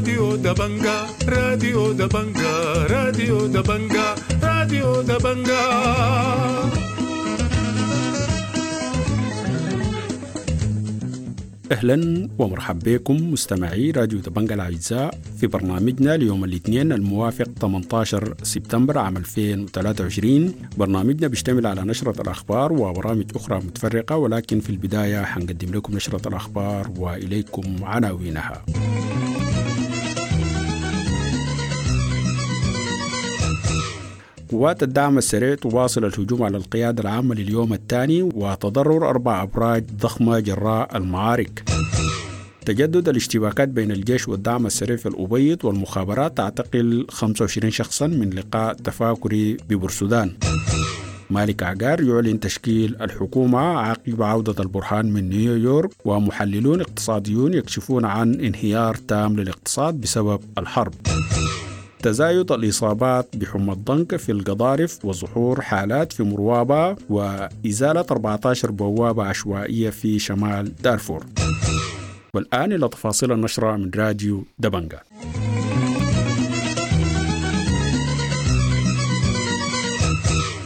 راديو دبنجا، راديو دبنجا، راديو دبنجا، راديو دبنجا. أهلا ومرحبا بكم مستمعي راديو دبنجا الأعزاء في برنامجنا ليوم الاثنين الموافق 18 سبتمبر عام 2023. برنامجنا بيشتمل على نشرة الأخبار وبرامج أخرى متفرقة، ولكن في البداية حنقدم لكم نشرة الأخبار وإليكم عناوينها. قوات الدعم السريع تواصل الهجوم على القيادة العامة لليوم الثاني وتضرر 4 أبراج ضخمة جراء المعارك. تجدد الاشتباكات بين الجيش والدعم السريع في الأبيض، والمخابرات تعتقل 25 شخصا من لقاء تفاكري ببورسودان. مالك عقار يعلن تشكيل الحكومة عقب عودة البرهان من نيويورك، ومحللون اقتصاديون يكشفون عن انهيار تام للاقتصاد بسبب الحرب. تزايد الإصابات بحمى الضنك في القضارف وظهور حالات في مروابة، وإزالة 14 بوابة عشوائية في شمال دارفور. والآن إلى تفاصيل النشرة من راديو دبنجا.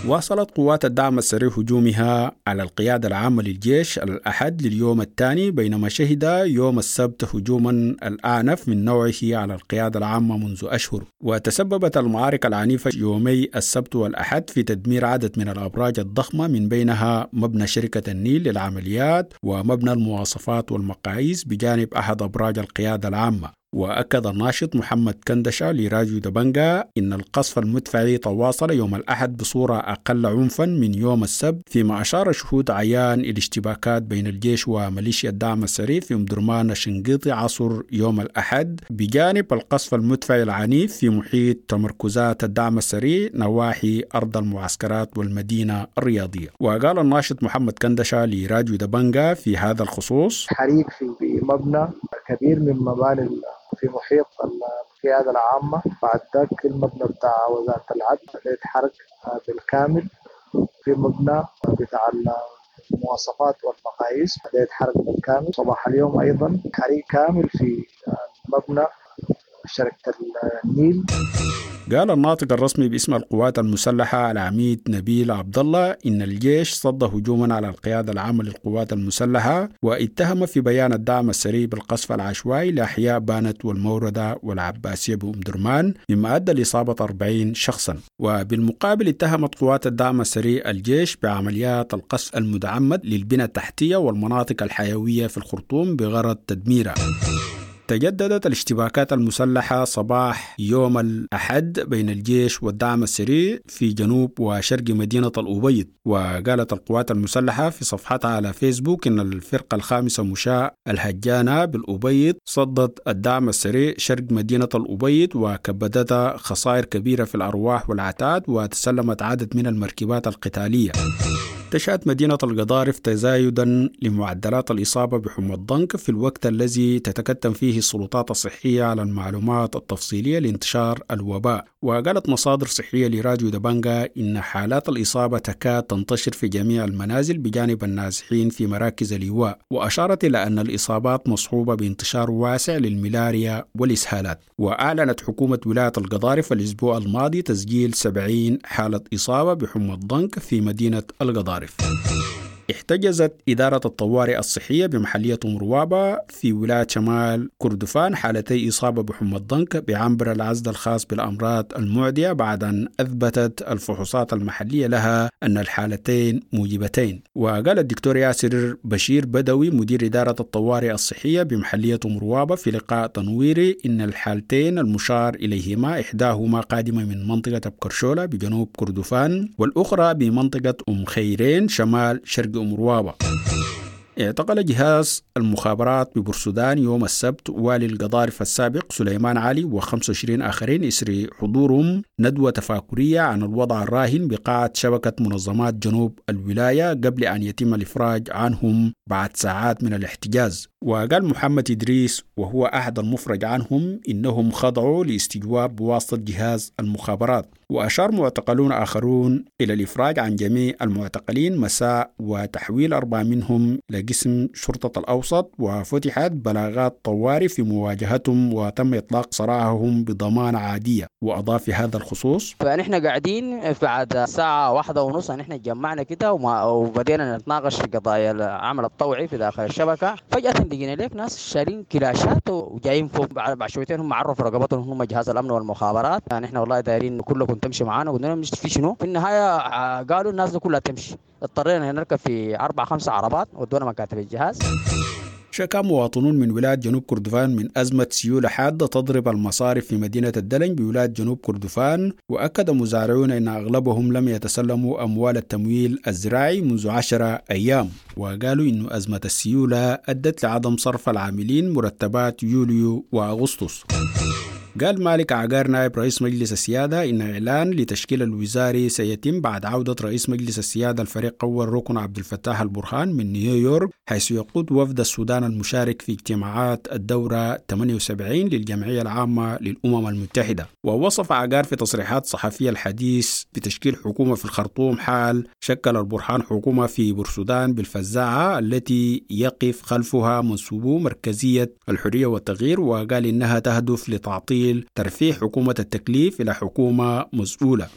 واصلت قوات الدعم السريع هجومها على القيادة العامة للجيش الأحد لليوم الثاني، بينما شهد يوم السبت هجوما الأعنف من نوعه على القيادة العامة منذ أشهر. وتسببت المعارك العنيفة يومي السبت والأحد في تدمير عدد من الأبراج الضخمة، من بينها مبنى شركة النيل للعمليات ومبنى المواصفات والمقاييس بجانب أحد أبراج القيادة العامة. وأكد الناشط محمد كندشة لراديو دبنجا إن القصف المدفعي تواصل يوم الأحد بصورة أقل عنفا من يوم السبت، فيما أشار شهود عيان إلى اشتباكات بين الجيش وميليشيا الدعم السريع في أم درمان الشنقيطي عصر يوم الأحد، بجانب القصف المدفعي العنيف في محيط تمركزات الدعم السريع نواحي أرض المعسكرات والمدينة الرياضية. وقال الناشط محمد كندشة لراديو دبنجا في هذا الخصوص: حريق في مبنى كبير من مباني في محيط القيادة العامة، بعد ذاك المبنى بتاع وزارة العدل اتحرق بالكامل، في مبنى بتاع المواصفات والمقاييس اتحرق بالكامل. صباح اليوم أيضا حريق كامل في مبنى شركة النيل. قال الناطق الرسمي باسم القوات المسلحة العميد نبيل عبد الله إن الجيش صد هجوما على القيادة العامة للقوات المسلحة، واتهم في بيان الدعم السريع بالقصف العشوائي لأحياء بانت والموردة والعباسية بأم درمان، مما أدى لإصابة 40 شخصا. وبالمقابل اتهمت قوات الدعم السريع الجيش بعمليات القصف المتعمد للبنى التحتية والمناطق الحيوية في الخرطوم بغرض تدميرها. تجددت الاشتباكات المسلحة صباح يوم الأحد بين الجيش والدعم السريع في جنوب وشرق مدينة الأبيض. وقالت القوات المسلحة في صفحتها على فيسبوك إن الفرقة الخامسة مشاة الهجانة بالأبيض صدت الدعم السريع شرق مدينة الأبيض وكبدتها خسائر كبيرة في الأرواح والعتاد، وتسلمت عدد من المركبات القتالية. تشهد مدينة القضارف تزايدا لمعدلات الإصابة بحمى الضنك في الوقت الذي تتكتم فيه السلطات الصحية على المعلومات التفصيلية لانتشار الوباء. وقالت مصادر صحية لراديو دبنجا إن حالات الإصابة تكاد تنتشر في جميع المنازل بجانب النازحين في مراكز الإيواء، وأشارت إلى أن الإصابات مصحوبة بانتشار واسع للملاريا والإسهالات. وأعلنت حكومة ولاية القضارف الأسبوع الماضي تسجيل 70 حالة إصابة بحمى الضنك في مدينة القضارف. احتجزت إدارة الطوارئ الصحية بمحلية مروابة في ولاية شمال كردفان حالتي إصابة بحمى الضنك بعنبر العزل الخاص بالأمراض المعدية، بعد أن أثبتت الفحوصات المحلية لها أن الحالتين موجبتين. وقال الدكتور ياسر بشير بدوي مدير إدارة الطوارئ الصحية بمحلية مروابة في لقاء تنويري إن الحالتين المشار إليهما إحداهما قادمة من منطقة أبكرشولة بجنوب كردفان، والأخرى بمنطقة أم خيرين شمال شرق مروابة. اعتقل جهاز المخابرات ببورسودان يوم السبت والي القضارف السابق سليمان علي و25 آخرين إثر حضورهم ندوة تفاكرية عن الوضع الراهن بقاعة شبكة منظمات جنوب الولاية قبل أن يتم الإفراج عنهم بعد ساعات من الاحتجاز. وقال محمد إدريس وهو أحد المفرج عنهم إنهم خضعوا لاستجواب بواسطة جهاز المخابرات. وأشار معتقلون آخرون إلى الإفراج عن جميع المعتقلين مساء وتحويل 4 منهم لقسم شرطة الأوسط، وفتحت بلاغات طوارئ في مواجهتهم وتم إطلاق سراحهم بضمانة عادية. وأضاف في هذا الخصوص: فنحن قاعدين بعد الساعة 1:30 نحن جمعنا كده وبدينا نتناقش في قضايا العمل الطوعي في داخل الشبكة. فجأة لقينا لك ناس شارين كلاشات وجايين فوق، بعد شويتين هم عرفوا رقبتهم هم جهاز الأمن والمخابرات، يعني احنا والله دايرين كلكم تمشي معانا. قلنا لهم في شنو؟ في النهاية قالوا الناس دي كلها تمشي. اضطرينا نركب في 4-5 عربات ودونا مكاتب الجهاز. شكا مواطنون من ولاية جنوب كردفان من أزمة سيولة حادة تضرب المصارف في مدينة الدلنج بولاية جنوب كردفان، وأكد مزارعون أن أغلبهم لم يتسلموا أموال التمويل الزراعي منذ 10 أيام، وقالوا إن أزمة السيولة أدت لعدم صرف العاملين مرتبات يوليو وأغسطس. قال مالك عقار نائب رئيس مجلس السيادة إن إعلان لتشكيل الوزاري سيتم بعد عودة رئيس مجلس السيادة الفريق أول ركن عبد الفتاح البرهان من نيويورك، حيث يقود وفد السودان المشارك في اجتماعات الدورة 78 للجمعية العامة للأمم المتحدة. ووصف عقار في تصريحات صحفية الحديث بتشكيل حكومة في الخرطوم حال شكل البرهان حكومة في بورسودان بالفزاعة التي يقف خلفها منسوبو مركزية الحرية والتغيير، وقال إنها تهدف لتعطيل ترفيع حكومة التكليف إلى حكومة مسؤولة.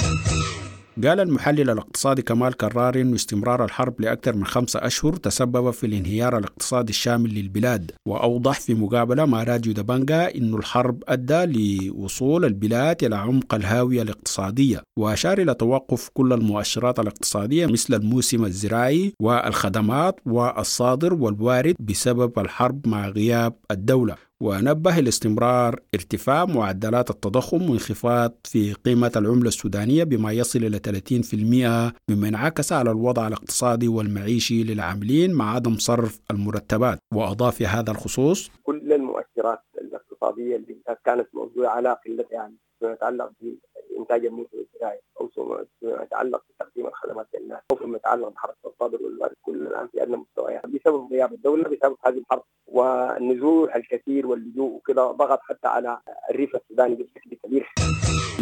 قال المحلل الاقتصادي كمال كرار إن استمرار الحرب لأكثر من 5 أشهر تسبب في الانهيار الاقتصادي الشامل للبلاد، وأوضح في مقابلة مع راديو دبنجا إن الحرب أدى لوصول البلاد إلى عمق الهاوية الاقتصادية، وأشار إلى توقف كل المؤشرات الاقتصادية مثل الموسم الزراعي والخدمات والصادر والوارد بسبب الحرب مع غياب الدولة. ونبه لاستمرار ارتفاع معدلات التضخم وانخفاض في قيمة العملة السودانية بما يصل إلى 30%، مما انعكس على الوضع الاقتصادي والمعيشي للعاملين مع عدم صرف المرتبات. وأضاف في هذا الخصوص: كل المؤشرات الاقتصادية اللي كانت موضوعة على قلة، يعني فيما يتعلق بإنتاج الموسم الزراعي أو فيما يتعلق بتقديم الخدمات للناس أو فيما يتعلق بحركة الصادر والوارد، كل الآن في أدنى مستويات بسبب غياب الدولة، بسبب هذه الحرب والنزوح الكثير واللجوء وكذا، ضغط حتى على الريف السوداني بشكل كبير.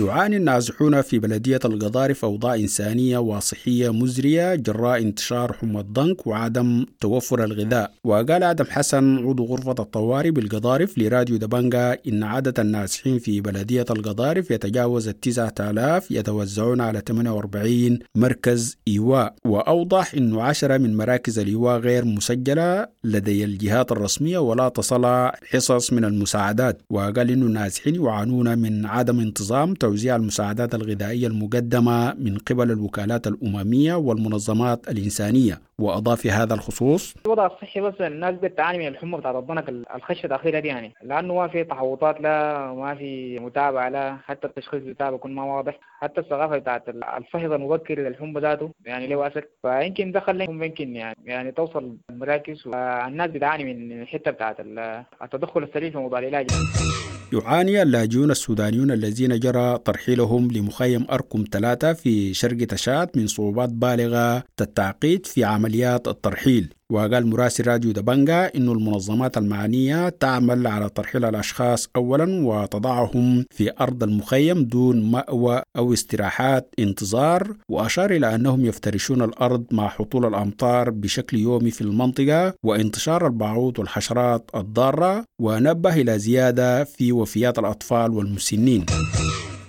يعاني النازحون في بلدية القضارف أوضاع إنسانية وصحية مزرية جراء انتشار حمى الضنك وعدم توفر الغذاء. وقال آدم حسن عضو غرفة الطوارئ بالقضارف لراديو دبنجا إن عدد النازحين في بلدية القضارف يتجاوز 9000 يتوزعون على 48 مركز إيواء. وأوضح أن 10 من مراكز الإيواء غير مسجلة لدي الجهات الرسمية ولا تصل حصص من المساعدات. وقال إن النازحين يعانون من عدم انتظام توزيع المساعدات الغذائية المقدمة من قبل الوكالات الأممية والمنظمات الإنسانية. وأضاف في هذا الخصوص: الوضع الصحي بس الناس بتعاني من الحمى بتاعت الضنك الخشة الأخيرة دي، يعني لأنه ما في تحوطات، لا ما في متابعة، لا حتى التشخيص بتاعه بيكون ما واضح، حتى الثقافة بتاعت الفحص المبكر للحمى ذاته يعني له أثر، فيمكن دخل يمكن يعني توصل المراكز، والناس بتعاني من الحتة بتاعت التدخل السريع في موضوع العلاج. يعاني اللاجئون السودانيون الذين جرى ترحيلهم لمخيم أركم 3 في شرق تشاد من صعوبات بالغة التعقيد في عمليات الترحيل. وقال مراسل راديو دبنجا إن المنظمات المعنية تعمل على ترحيل الأشخاص أولا وتضعهم في أرض المخيم دون مأوى أو استراحات انتظار، وأشار إلى أنهم يفترشون الأرض مع هطول الأمطار بشكل يومي في المنطقة وانتشار البعوض والحشرات الضارة، ونبه إلى زيادة في وفيات الأطفال والمسنين.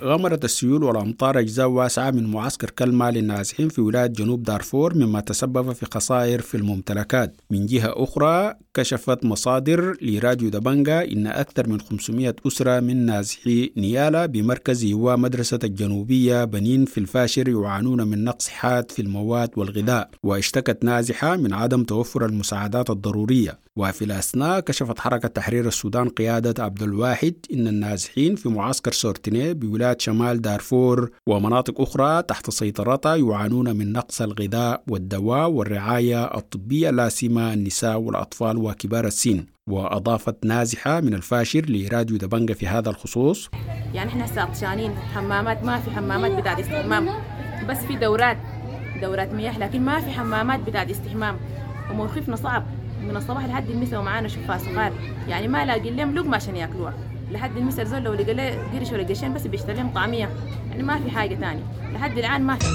غمرت السيول والأمطار أجزاء واسعة من معسكر كلمة للنازحين في ولاية جنوب دارفور، مما تسبب في خسائر في الممتلكات. من جهة أخرى، كشفت مصادر لراديو دبنجا إن أكثر من 500 أسرة من نازحي نيالا بمركز إيواء مدرسة الجنوبية بنين في الفاشر يعانون من نقص حاد في المواد والغذاء، واشتكت نازحة من عدم توفر المساعدات الضرورية. وفي الأثناء كشفت حركة تحرير السودان قيادة عبد الواحد إن النازحين في معسكر سورتيني بولاية شمال دارفور ومناطق أخرى تحت سيطرتها يعانون من نقص الغذاء والدواء والرعاية الطبية، لا سيما النساء والأطفال وكبار السن. وأضافت نازحة من الفاشر لراديو دبنجا في هذا الخصوص: يعني احنا هسه عطشانين، حمامات ما في، حمامات بتاعت استحمام، بس في دورات مياه، لكن ما في حمامات بتاعت استحمام، وموقفنا صعب من الصباح لحد المساء، ومعانا شفاء صغار، يعني ما لاقين لهم لقمة عشان ياكلوها، لحد المثل زول لو لقى له قرش ولا قرشين بس بيشتري لهم طعميه، يعني ما في حاجة تاني لحد الان ما في.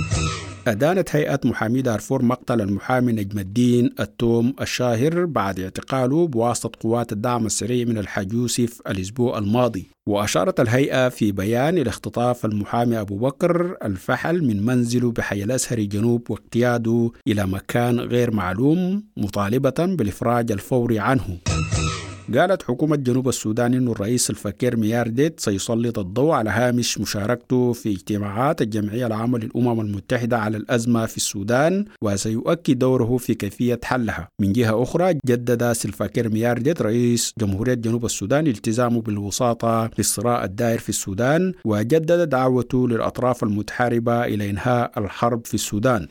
أدانت هيئة محامي دارفور مقتل المحامي نجم الدين التوم الشاهر بعد اعتقاله بواسطة قوات الدعم السريع من الحاج يوسف الأسبوع الماضي. وأشارت الهيئة في بيان إلى اختطاف المحامي أبو بكر الفحل من منزله بحي الأزهري جنوب واقتياده إلى مكان غير معلوم، مطالبة بالإفراج الفوري عنه. قالت حكومة جنوب السودان أن الرئيس سلفاكير ميارديت سيسلط الضوء على هامش مشاركته في اجتماعات الجمعية العامة للأمم المتحدة على الأزمة في السودان، وسيؤكد دوره في كيفية حلها. من جهة أخرى، جدد سلفاكير ميارديت رئيس جمهورية جنوب السودان التزامه بالوساطة للصراع الدائر في السودان، وجدد دعوته للأطراف المتحاربة إلى إنهاء الحرب في السودان.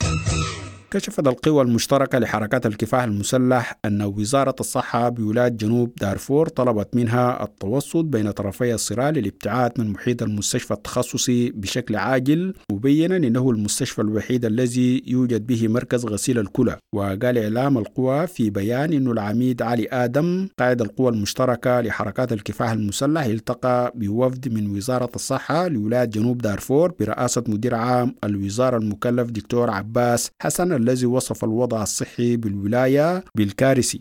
كشفت القوى المشتركة لحركات الكفاح المسلح أن وزارة الصحة بولاية جنوب دارفور طلبت منها التوسط بين طرفي الصراع للابتعاد من محيط المستشفى التخصصي بشكل عاجل، مبينا أنه المستشفى الوحيد الذي يوجد به مركز غسيل الكلى. وقال إعلام القوى في بيان أن العميد علي آدم قائد القوى المشتركة لحركات الكفاح المسلح التقى بوفد من وزارة الصحة لولاية جنوب دارفور برئاسة مدير عام الوزارة المكلف دكتور عباس حسن الذي وصف الوضع الصحي بالولاية بالكارثي.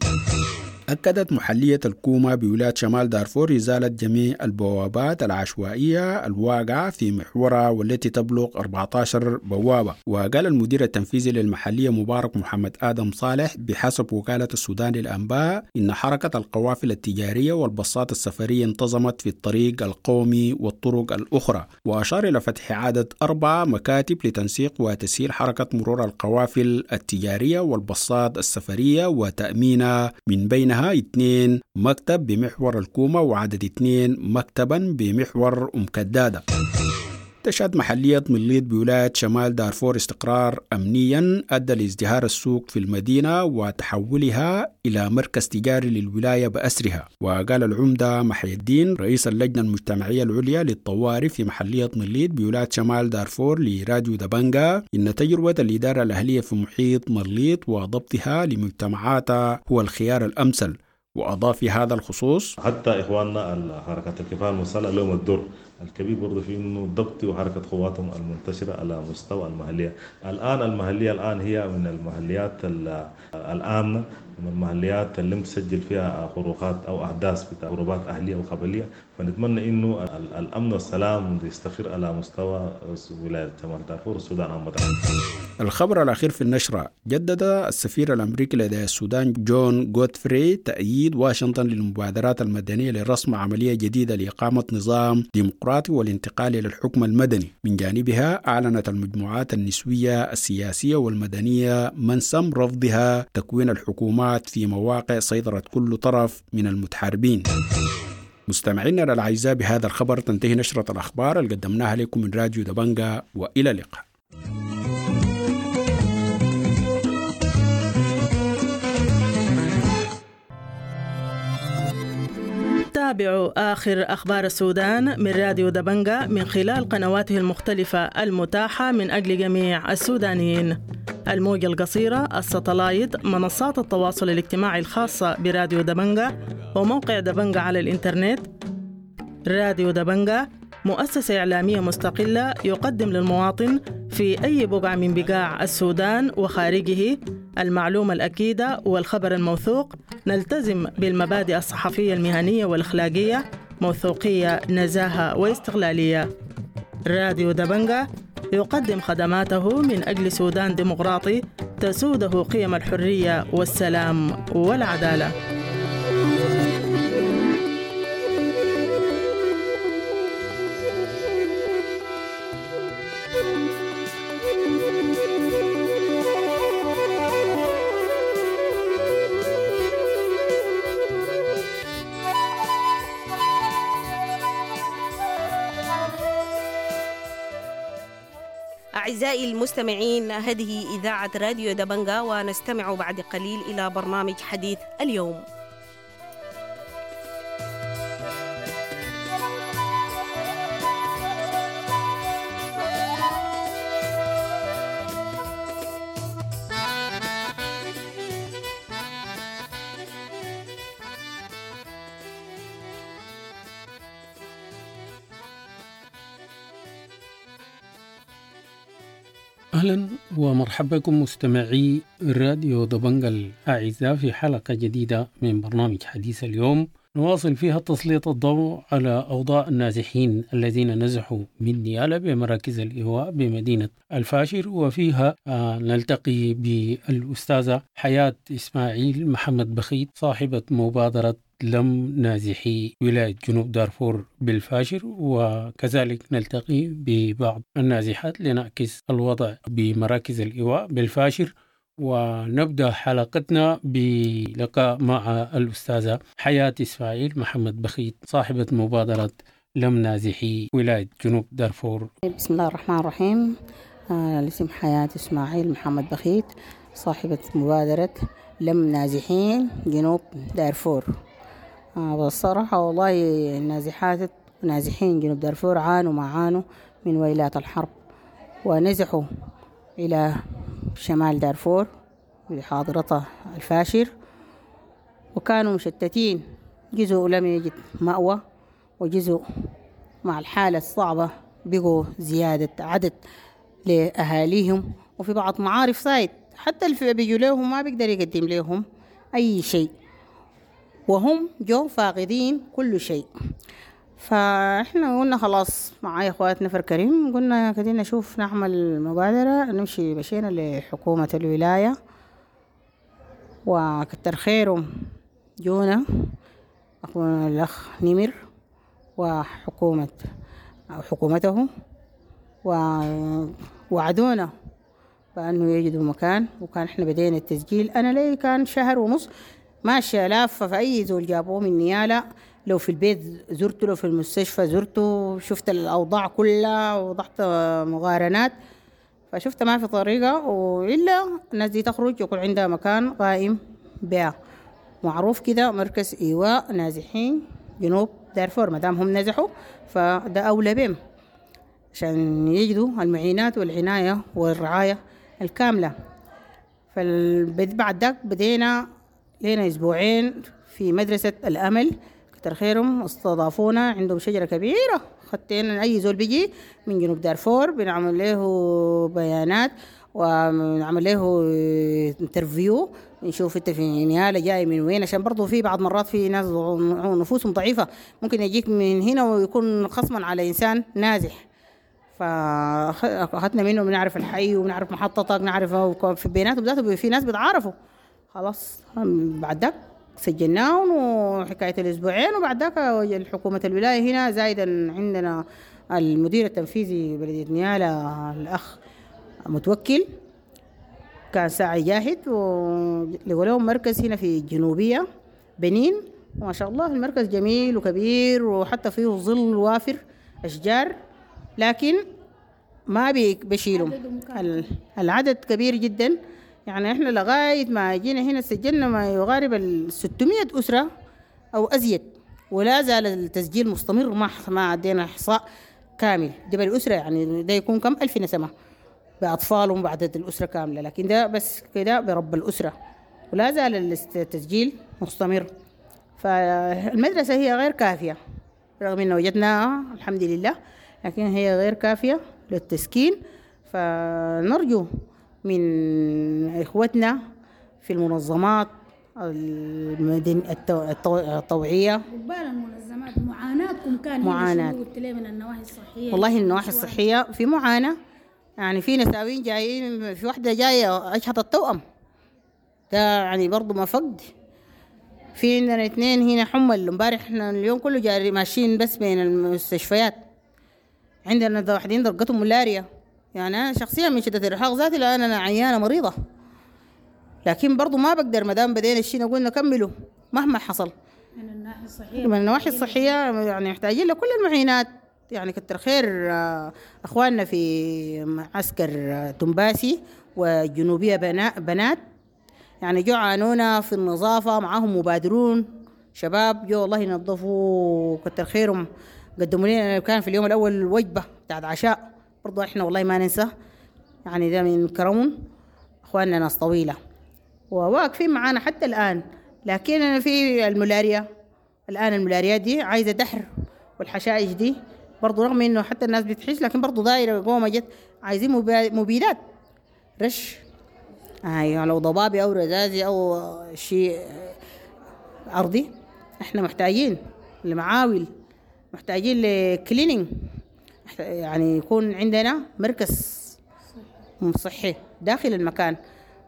أكدت محلية الكومة بولاية شمال دارفور إزالة جميع البوابات العشوائية الواقعة في محورها والتي تبلغ 14 بوابة. وقال المدير التنفيذي للمحلية مبارك محمد آدم صالح بحسب وكالة السودان للأنباء إن حركة القوافل التجارية والباصات السفرية انتظمت في الطريق القومي والطرق الأخرى. وأشار إلى فتح عدد 4 مكاتب لتنسيق وتسهيل حركة مرور القوافل التجارية والباصات السفرية وتأمينها، من بينها 2 مكتب بمحور الكومة وعدد 2 مكتبا بمحور أم كدادة. تشهد محلية مليط بولاية شمال دارفور استقرار أمنيا أدى لازدهار السوق في المدينة وتحولها إلى مركز تجاري للولاية بأسرها. وقال العمدة محي الدين رئيس اللجنة المجتمعية العليا للطوارئ في محلية مليط بولاية شمال دارفور لراديو دبنجا إن تجربة الإدارة الأهلية في محيط مليط وضبطها لمجتمعاتها هو الخيار الأمثل. وأضاف في هذا الخصوص: حتى إخواننا حركة الكفاح المسلح لهم الدور الكبير برضه في إنه ضبط وحركة قواتهم المنتشرة على مستوى المحلية. الآن المحلية الآن هي من المحليات الآمنة، من المحليات اللي مسجل فيها خروقات أو أحداث بتاع حروبات أهلية وقبلية، فنتمنى إنه الأمن والسلام يستقر على مستوى ولاية شمال دارفور والسودان عامة. الخبر الأخير في النشرة: جدد السفير الأمريكي لدى السودان جون جودفري تأييد واشنطن للمبادرات المدنية لرسم عملية جديدة لإقامة نظام ديمقراطي والانتقال إلى الحكم المدني. من جانبها أعلنت المجموعات النسوية السياسية والمدنية منسم رفضها تكوين الحكومات في مواقع سيطرة كل طرف من المتحاربين. مستمعينا الأعزاء، بهذا الخبر تنتهي نشرة الأخبار اللي قدمناها لكم من راديو دبنجا، وإلى اللقاء. تابعوا آخر أخبار السودان من راديو دبنجا من خلال قنواته المختلفة المتاحة من أجل جميع السودانيين: الموجة القصيرة، الستلايت، منصات التواصل الاجتماعي الخاصة براديو دبنجا، وموقع دبنجا على الإنترنت. راديو دبنجا مؤسسة إعلامية مستقلة يقدم للمواطن في أي بقعة من بقاع السودان وخارجه المعلومة الأكيدة والخبر الموثوق. نلتزم بالمبادئ الصحفية المهنية والإخلاقية، موثوقية، نزاهة واستقلالية. راديو دبنجا يقدم خدماته من أجل سودان ديمقراطي تسوده قيم الحرية والسلام والعدالة. أعزائي المستمعين، هذه إذاعة راديو دبنجا، ونستمع بعد قليل إلى برنامج حديث اليوم. أهلا ومرحبا بكم مستمعي راديو دبنجا الأعزاء في حلقة جديدة من برنامج حديث اليوم، نواصل فيها تسليط الضوء على أوضاع النازحين الذين نزحوا من نيالا بمراكز الإيواء بمدينة الفاشر، وفيها نلتقي بالأستاذة حياة إسماعيل محمد بخيت صاحبة مبادرة لم نازحي ولاية جنوب دارفور بالفاشر، وكذلك نلتقي ببعض النازحات لنعكس الوضع بمراكز الإيواء بالفاشر. ونبدأ حلقتنا بلقاء مع الأستاذة حياة إسماعيل محمد بخيت صاحبة مبادرة لم نازحي ولاية جنوب دارفور. بسم الله الرحمن الرحيم. الاسم حياة إسماعيل محمد بخيت، صاحبة مبادرة لم نازحين جنوب دارفور. والصراحة والله النازحات نازحين جنوب دارفور عانوا ما عانوا من ويلات الحرب، ونزحوا إلى شمال دارفور بحاضرتها الفاشر، وكانوا مشتتين، جزء لم يجد مأوى، وجزء مع الحالة الصعبة بقوا زيادة عدد لأهاليهم، وفي بعض معارف صايد حتى اللي بيجوا لهم ما بيقدر يقدم لهم أي شيء، وهم جو فاقدين كل شيء. فإحنا قلنا خلاص معايا أخوات نفر كريم، قلنا كده نشوف نعمل مبادرة، نمشي. مشينا لحكومة الولاية وكتر خيرهم جونا أخونا الأخ نمر وحكومة أو حكومته، ووعدونا بأنه يجدوا مكان. وكان إحنا بدينا التسجيل، أنا لي كان شهر ونص ماشية لافة في أي زول جابوه من نيالا، لو في البيت زرته، لو في المستشفى زرته، شفت الأوضاع كلها ووضعت مقارنات، فشفت ما في طريقة وإلا الناس دي تخرج يكون عندها مكان قائم بها معروف كده، مركز إيواء نازحين جنوب دارفور، ما دام هم نزحوا فده أولى بهم عشان يجدوا المعينات والعناية والرعاية الكاملة. فبعد ذاك بدينا لنا أسبوعين في مدرسة الأمل، كتر خيرهم استضافونا، عندهم شجرة كبيرة، خدتنا أي زول بيجي من جنوب دارفور بنعمل له بيانات ونعمل له interview، نشوف انت في نيالا جاي من وين، عشان برضه في بعض مرات في ناس نفوسهم ضعيفة ممكن يجيك من هنا ويكون خصما على إنسان نازح. فأخذنا منه، بنعرف الحي وبنعرف محطتك، نعرف في بيناتهم ذاته في ناس بيتعارفوا. خلاص بعد ذاك سجلناهم وحكاية الأسبوعين، وبعد ذاك حكومة الولاية هنا زايدا عندنا المدير التنفيذي بلدية نيالا الأخ متوكل، كان ساعي جاهد، ولقوا لهم مركز هنا في الجنوبية بنين، وما شاء الله المركز جميل وكبير، وحتى فيه ظل وافر أشجار، لكن ما بيشيلهم العدد كبير جدا. يعني احنا لغاية ما جينا هنا سجلنا ما يقارب 600 أسرة أو أزيد، ولا زال التسجيل مستمر، ما عدينا إحصاء كامل. ده بالأسرة يعني ده يكون كم ألف نسمة بأطفالهم بعدد الأسرة كاملة، لكن ده بس كده برب الأسرة، ولا زال التسجيل مستمر. فالمدرسة هي غير كافية رغم إنه وجدناها الحمد لله، لكن هي غير كافية للتسكين. فنرجو من إخوتنا في المنظمات الطوعية، قبال المنظمات معاناتكم كان معاناة قلت لي من النواحي الصحية. والله النواحي الصحية في معاناة، يعني في نساوين جايين، في واحدة جاية أجهضت التوأم، ده يعني برضو ما فقد. في عندنا 2 هنا حمى، امبارح احنا اليوم كله جاري ماشيين بس بين المستشفيات، عندنا واحدين درجتهم ملاريا. يعني أنا شخصيا من شدة الإرهاق ذاتي لأن أنا عيانة مريضة، لكن برضو ما بقدر ما دام بدينا الشيء نقول نكمله مهما حصل. من الناحية الصحية، من النواحي الصحية يعني محتاجين لكل المعينات. يعني كتر خير أخواننا في معسكر تنباسي والجنوبية بنات، يعني جو عانونا في النظافة، معاهم مبادرون شباب جو والله ينظفوا، كتر خيرهم قدموا لنا. كان في اليوم الأول وجبة بتاعت عشاء، برضو احنا والله ما ننسى، يعني ده من كرمهم اخواننا ناس طويلة وواقفين معانا حتى الآن. لكن أنا في الملاريا الآن، الملاريا دي عايزة دحر، والحشائش دي برضو رغم انه حتى الناس بتحش، لكن برضو دايرة قومة جت، عايزين مبيدات. رش، أيوة لو ضبابي أو رذاذي أو شيء أرضي. احنا محتاجين لمعاول، محتاجين ل cleaning، يعني يكون عندنا مركز صحي داخل المكان،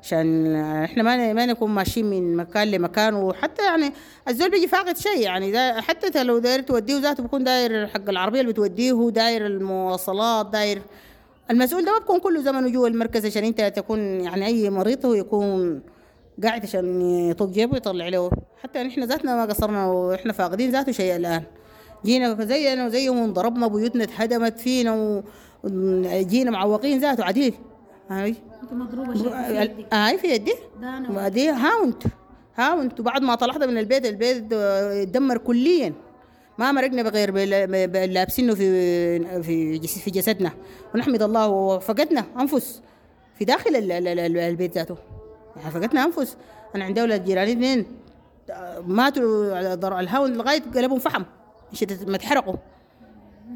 عشان احنا ما نكون ماشيين من مكان لمكان. وحتى يعني الزول بيجي فاقد شيء، يعني حتى لو داير توديه ذاته بيكون داير حق العربية اللي بتوديه، داير المواصلات، داير المسؤول ده ما بيكون كله زمنه جوا المركز، عشان انت تكون يعني اي مريض هو يكون قاعد عشان يطق جيبه ويطلع له. حتى نحن ذاتنا ما قصرنا، واحنا فاقدين ذاته شيء الان. جينا زينا وزيهم وانضربنا، بيوتنا اتهدمت فينا، وجينا معوقين ذاته عديل. هاي انت مضروبة شيء في يدك؟ هاي في يدي دي هاونت. وبعد ما طلعت من البيت، البيت اتدمر كليا، ما مرقنا بغير لابسينه في في في جسدنا، ونحمد الله. وفقدنا انفس في داخل البيت ذاته، يعني فقدنا انفس. انا عندي اولاد جيراني 2 ماتوا على الهاون لغاية قلبهم فحم، ما اتحرقوا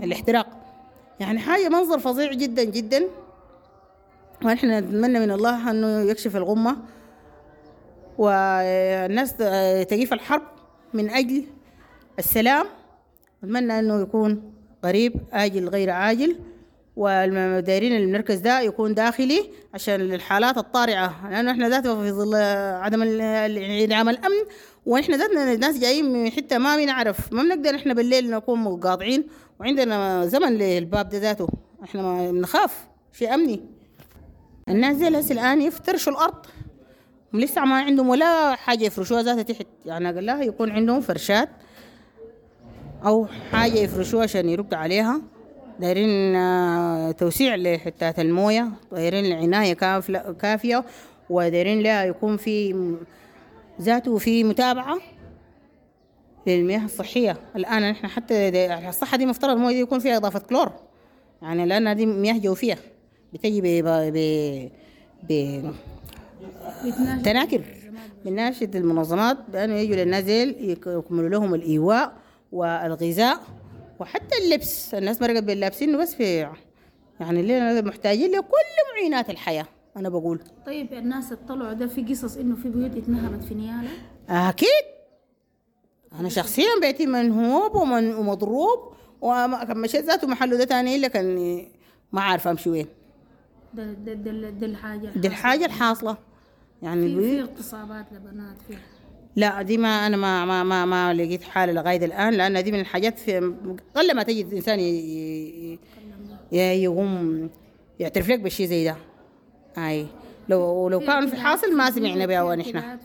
الاحتراق. يعني حاجة منظر فظيع جدا جدا. ونحن نتمنى من الله انه يكشف الغمة والناس تقيف الحرب من اجل السلام. نتمنى انه يكون قريب، آجل غير عاجل. والدايرين المركز ده يكون داخلي عشان الحالات الطارئة، لأنه احنا ذاته في ظل عدم انعدام الأمن، ونحن ذاتنا الناس جايين من حتة ما بنعرف، ما بنقدر احنا بالليل نكون مقاطعين، وعندنا زمن للباب ده ذاته، احنا ما بنخاف شيء أمني. الناس زي هسه الآن يفترشوا الأرض، لسه ما عندهم ولا حاجة يفرشوها ذاتها تحت، يعني أقلها يكون عندهم فرشات أو حاجة يفرشوها عشان يرقدوا عليها. دايرين توسيع لحتات الموية، دايرين العناية كافية، ودايرين لها يكون في ذاته في متابعة للمياه الصحية. الآن نحن حتى الصحة دي مفترض الموية دي يكون فيها إضافة كلور، يعني لأن دي مياه جوفية بتجي ب تناكر. بناشد المنظمات بأنه يجوا للنازل يكملوا لهم الإيواء والغذاء وحتى اللبس. الناس مرقت باللابسين بس في يعني اللي محتاجين لكل معينات الحياة. أنا بقول طيب الناس اطلعوا ده في قصص إنه في بيوت اتنهبت في نيالة؟ أكيد، أنا شخصيا بيتي منهوب ومضروب، وما مشيت ذاته محله ده تاني إلا كان ما عارفة أمشي وين. ده الحاجة، دي الحاجة الحاصلة. يعني في اغتصابات لبنات في؟ لا دي ما أنا ما ما ما, ما لقيت حالة لغاية الآن، لأن دي من الحاجات في قل ما تجد إنسان يقوم يعترف لك بالشيء زي ده. أي لو كان في حاصل ما سمعنا بها. ونحن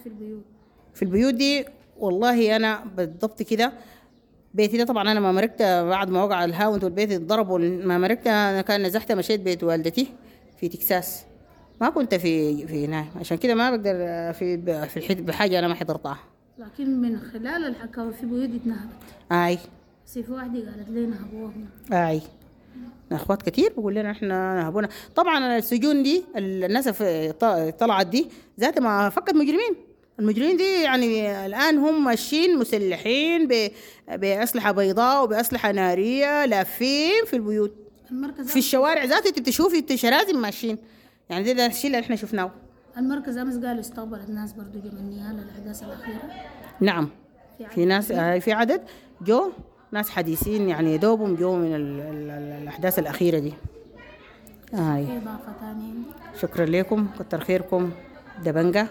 في البيوت دي والله أنا بالضبط كده بيتي ده طبعا أنا ما مرقت بعد ما وقع الهاونت والبيت اتضرب، ما مرقت أنا كان نزحت مشيت بيت والدتي في تكساس، ما كنت في هنا، عشان كده ما بقدر في الحد بحاجة أنا ما حضرتها. لكن من خلال الحكاوي في بيوت اتنهبت. أي بس في واحدة قالت لي نهبوهم. أي أخوات كتير بيقول لنا إحنا نهبونا. طبعا السجون دي الناس طلعت دي ذات ما فكت مجرمين. المجرمين دي يعني الآن هم ماشيين مسلحين بأسلحة بيضاء وبأسلحة نارية، لافين في البيوت، في الشوارع ذاته انت بتشوفي شرازم ماشيين. يعني ده الشيء اللي احنا شفناه. المركز امس قالوا استقبلت ناس برضو جو من نيالا الاحداث الاخيرة. نعم في ناس، في عدد جو ناس حديثين يعني دوبهم جو من الاحداث الاخيرة دي. هاي اضافه ثانية. شكرا لكم، كتر خيركم دبنجة،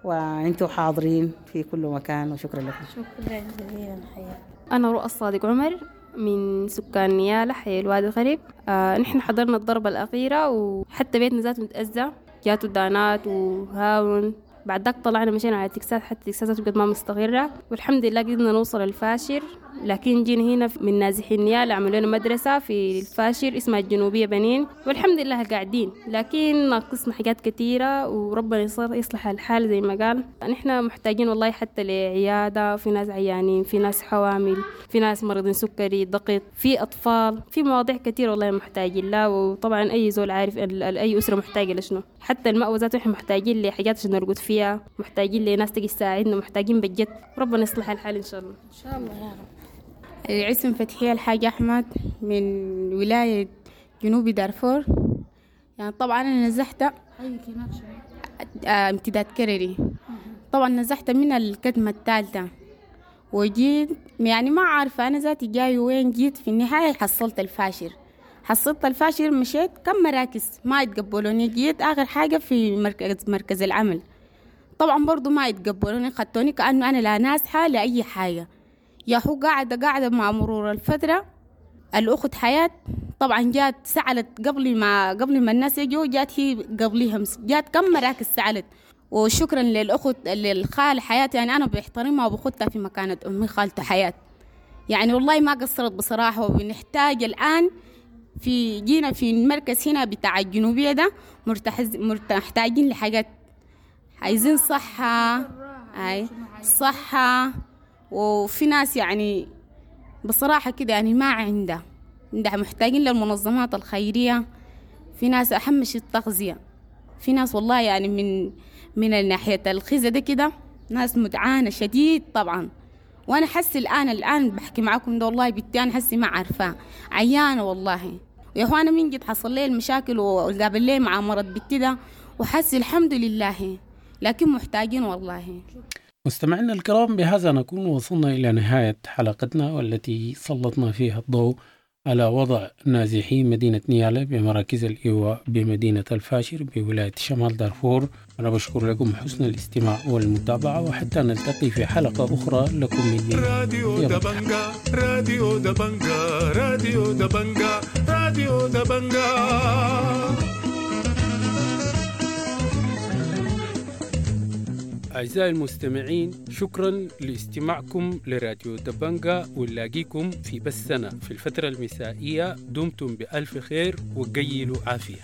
وانتم حاضرين في كل مكان، وشكرا لكم. شكرا جزيلا. حياك. انا رؤى الصادق عمر من سكان نيالا حي الوادي الغريب. نحن حضرنا الضربة الأخيرة، وحتى بيتنا ذاته متأذى، جاتوا دانات وهاون. بعد ذاك طلعنا مشينا على تكساس، حتى تكساس بقت ما مستقرة، والحمد لله قدرنا نوصل الفاشر. لكن جينا هنا من نازحين نيالا عملوا لنا مدرسة في الفاشر اسمها الجنوبية بنين، والحمد لله قاعدين، لكن ناقصنا حاجات كثيرة، وربنا يصلح الحال زي ما قال. نحن محتاجين والله حتى لعيادة، في ناس عيانين، في ناس حوامل، في ناس مريضين سكري، ضغط، في أطفال، في مواضيع كثيرة والله محتاجين لها. وطبعا أي زول عارف أي أسرة محتاجة لشنو، حتى المأوى ذاته احنا محتاجين لحاجات عشان نرقد فيها، محتاجين لناس تجي تساعدنا، محتاجين بجد. ربنا يصلح الحال إن شاء الله. إن شاء الله يا رب. الاسم فتحية الحاج أحمد من ولاية جنوب دارفور. يعني طبعا أنا نزحت حيك هناك شنو؟ امتداد كرري. طبعا نزحت من الكتمة الثالثة وجيت، يعني ما عارفة أنا ذاتي جاي وين. جيت في النهاية حصلت الفاشر، حصلت الفاشر، مشيت كم مراكز ما يتقبلوني. جيت آخر حاجة في مركز العمل، طبعا برضو ما يتقبلوني، خدتوني كأنه أنا لا نازحة لا أي حاجة. يا هو قاعدة مع مرور الفترة الأخت حياة طبعا جات سألت قبل ما الناس يجوا، جات هي قبليهم، جات كم مراكز سألت. وشكرا للأخت للخال حياة، يعني أنا بحترمها وبخدها في مكانة أمي خالته حياة، يعني والله ما قصرت بصراحة. وبنحتاج الآن في جينا في المركز هنا بتاع الجنوبية ده محتاجين لحاجات، عايزين صحة، أي صحة. وفي ناس يعني بصراحة كده يعني ما عندها، محتاجين للمنظمات الخيرية. في ناس أهم شيء التغذية، في ناس والله يعني من ناحية الخزة ده كده ناس متعانة شديد طبعا. وأنا حسي الآن بحكي معاكم ده والله بنتي أنا حسي ما عارفة عيانة والله. ويا أخوانا من جد حصل لي المشاكل وقابل لي مع مرض بنتي ده، وحسي الحمد لله، لكن محتاجين والله. مستمعينا الكرام، بهذا نكون وصلنا إلى نهاية حلقتنا والتي سلطنا فيها الضوء على وضع نازحي مدينة نيالا بمراكز الإيواء بمدينة الفاشر بولاية شمال دارفور. أنا بشكر لكم حسن الاستماع والمتابعة، وحتى نلتقي في حلقة أخرى لكم مني راديو دبنجا، راديو دبنجا، راديو دبنجا، راديو دبنجا. أعزائي المستمعين، شكرا لاستماعكم لراديو دبنجا، ونلاقيكم في بثنا في الفترة المسائية. دمتم بألف خير وقيلوا عافية.